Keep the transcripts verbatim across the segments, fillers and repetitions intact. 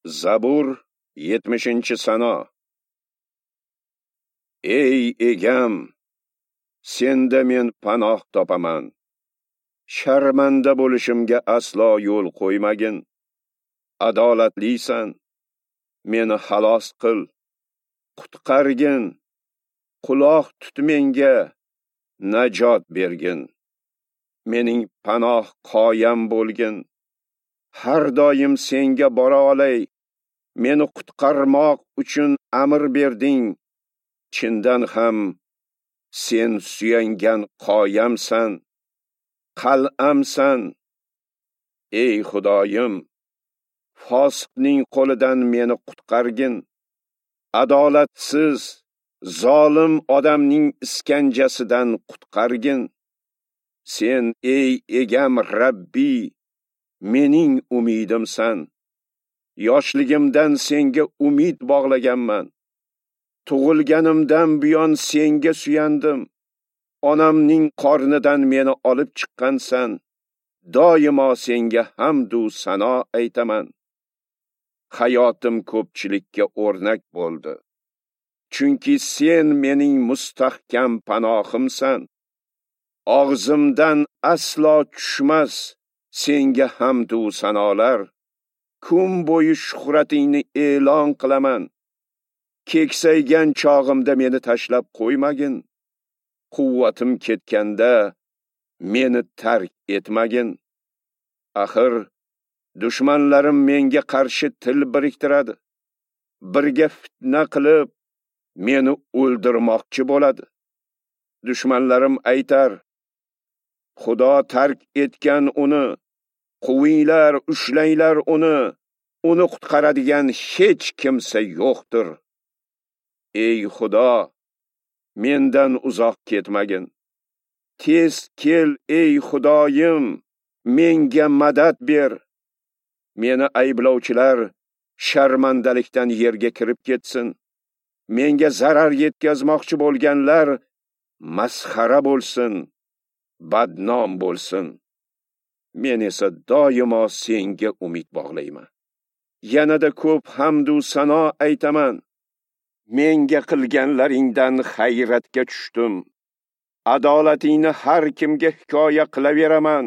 Zabur yetmishinchi sano. Ey egam, senda men panoh topaman. Sharmanda bo'lishimga aslo yo'l qo'ymagin. Adolatlisan, meni xalos qil, qutqargin, quloq tut menga, najot bergin. Mening panoh qoyam bo'lgin. Har doim senga bora olay. Meni qutqarmoq uchun amr berding. Chindan ham sen suyangan qoyamsan, qal'amsan. Ey Xudoyim, fosiqning qo'lidan meni qutqargin. Adolatsiz, zolim odamning iskanjasidan qutqargin. Sen ey egam Rabbi, mening umidimsan. Yoshligimdan senga umid bog'laganman. Tug'ilganimdan buyon senga suyandim. Onamning qornidan meni olib chiqqansan. Doimo senga hamd u sano aytaman. Hayotim ko'pchilikka o'rnak bo'ldi. Chunki sen mening mustahkam panohimsan. Og'zimdan aslo tushmas senga hamd u sanolar. Kun bo'yi shuhratingni e'lon qilaman. Keksaygan chog'imda meni tashlab qo'ymagin. Quvvatim ketganda meni tark etmagin. Axir dushmanlarim menga qarshi til biriktiradi. Birga fitna qilib meni o'ldirmoqchi bo'ladi. Dushmanlarim aytar: Xudo tark etgan uni, quvinglar, ushlanglar uni, uni qutqaradigan hech kimsa yo'qdir. Ey Xudo, mendan uzoq ketmagin. Tez kel ey Xudoyim, menga madad ber. Meni ayblovchilar sharmandalikdan yerga kirib ketsin. Menga zarar yetkazmoqchi bo'lganlar masxara bo'lsin, badnom bo'lsin. Men esa doimo senga umid bog'layman. Yanada ko'p hamd u sano aytaman. Menga qilganlaringdan hayratga tushdim. Adolatingni har kimga hikoya qilaveraman.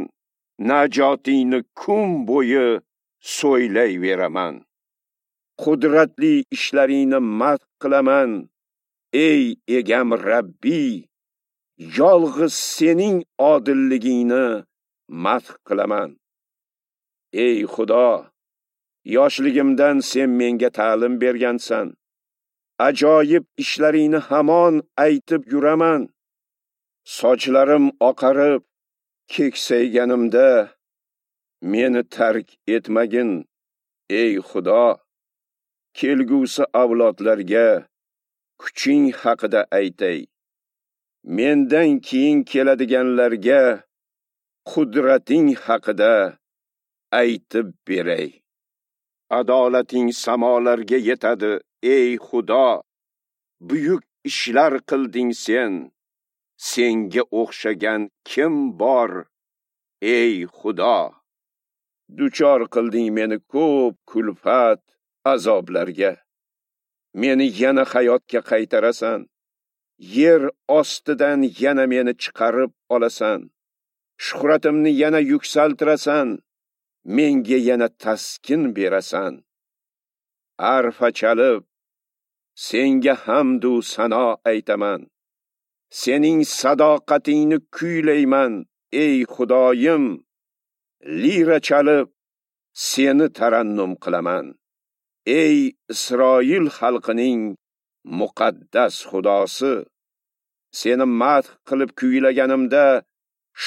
Najotingni kun bo'yi so'ylayveraman. Qudratli ishlaringni madh qilaman. Ey egam Rabbi, yolg'iz sening odilligingni madh qilaman. Ey Xudo, yoshligimdan sen menga ta'lim bergansan. Ajoyib ishlaringni hamon aytib yuraman. Sochlarim oqarib, keksayganimda meni tark etmagin, ey Xudo. Kelgusi avlodlarga kuching haqida aytay. Mendan keyin keladiganlarga qudrating haqida aytib beray. Adolating samolarga yetadi, ey Xudo. Buyuk ishlar qilding sen. Senga o'xshagan kim bor, ey Xudo? Duchor qilding meni ko'p kulfat, azoblarga. Meni yana hayotga qaytarasan. Yer ostidan yana meni chiqarib olasan. Shuhratimni yana yuksaltirasan. Menga yana taskin berasan. Arfa chalib senga hamd u sano aytaman. Sening sadoqatingni kuylayman, ey Xudoyim. Lira chalib seni tarannum qilaman. Ey Isroil xalqining muqaddas Xudosi, seni madh qilib kuylaganimda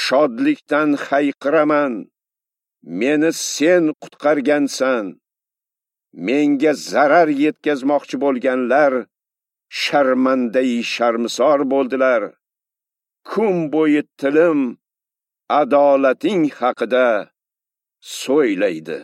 shodlikdan hayqiraman. Meni sen qutqargansan. Menga zarar yetkazmoqchi bo'lganlar sharmandai sharmisor bo'ldilar. Kun bo'yi tilim adolating haqida so'ylaydi.